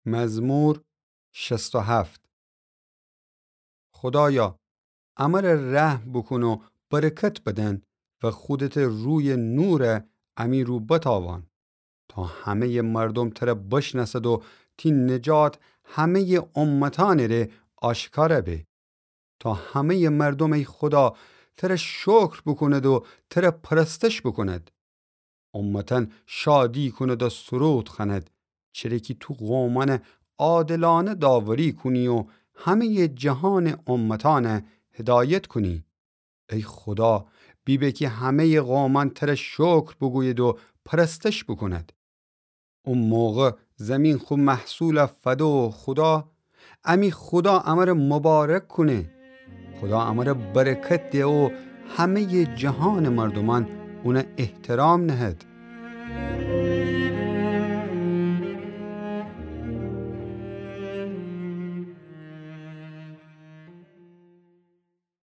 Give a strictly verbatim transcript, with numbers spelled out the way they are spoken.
مزمور شصت و هفت. خودایا، امر رحم بوکون و برکت بدن و خودتٚ رویٚ نور امی رو بتاوان، تا همه‌یٚ مردم تر بشنأسد و تی نجات همه‌یٚ امتأنٚ ره آشکار به. تا همه‌یٚ مردم، ای خودا، تر شکر بوکوند و تر پرستش بوکوند. امتأن شادی کوند و سرود خوأند، چره کی تو قومأن عادلأنه داوری کونی و همه‌یٚ جهانٚ امتأن هدایت کونی. ای خودا، بیبه کی همه‌یٚ قومأن تر شکر بوگوید و پرستش بوکوند. او موقع زمین خو محصول فده و خودا، امی خودا امر مبارک کونه. خودا امر برکت ده و همه‌یٚ جهانٚ مردومأن اون احترام نهد.